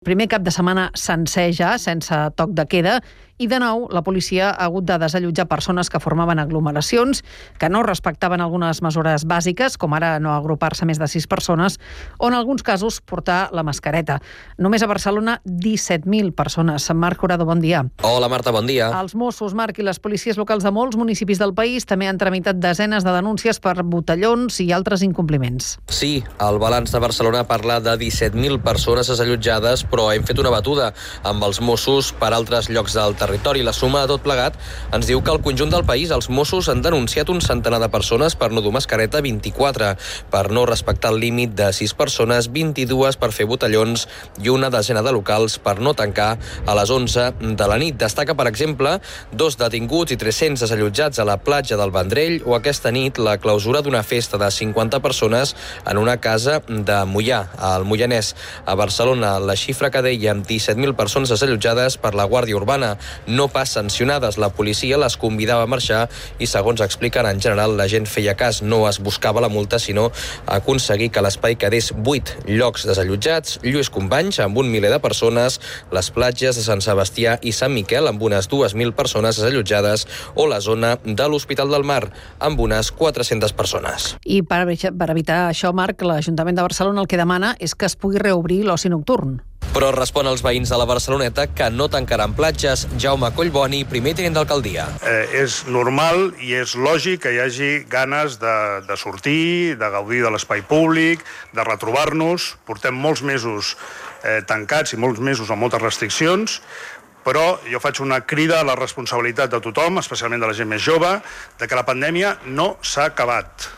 Primer cap de setmana sencer ja, sense toc de queda, i de nou la policia ha hagut de desallotjar persones que formaven aglomeracions, que no respectaven algunes mesures bàsiques, com ara no agrupar-se més de 6 persones, o en alguns casos portar la mascareta. Només a Barcelona 17.000 persones. Marc Jurado, bon dia. Hola Marta, bon dia. Els Mossos, Marc, i les policies locals de molts municipis del país també han tramitat desenes de denúncies per botellons i altres incompliments. Sí, el balanç de Barcelona parla de 17.000 persones desallotjades, però hem fet una batuda amb els Mossos per altres llocs del territori. La suma de tot plegat ens diu que al conjunt del país els Mossos han denunciat un centenar de persones per no dur mascareta, 24, per no respectar el límit de 6 persones, 22 per fer botellons i una desena de locals per no tancar a les 11 de la nit. Destaca, per exemple, 2 detinguts i 300 desallotjats a la platja del Vendrell o aquesta nit la clausura d'una festa de 50 persones en una casa de Moià, al Moianès. A Barcelona, la xifra que dèiem, 17.000 persones desallotjades per la Guàrdia Urbana, no pas sancionades. La policia les convidava a marxar i, segons expliquen, en general la gent feia cas. No es buscava la multa, sinó aconseguir que l'espai quedés buit. Llocs desallotjats, Lluís Companys, amb un miler de persones, les platges de Sant Sebastià i Sant Miquel, amb unes 2.000 persones desallotjades, o la zona de l'Hospital del Mar, amb unes 400 persones. I per evitar això, Marc, l'Ajuntament de Barcelona el que demana és que es pugui reobrir l'oci nocturn. Però respon als veïns de la Barceloneta que no tancaran platges. Jaume Collboni, primer tinent d'alcaldia. És normal i és lògic que hi hagi ganes de sortir, de gaudir de l'espai públic, de retrobar-nos. Portem molts mesos tancats i molts mesos amb moltes restriccions, però jo faig una crida a la responsabilitat de tothom, especialment de la gent més jove, de que la pandèmia no s'ha acabat.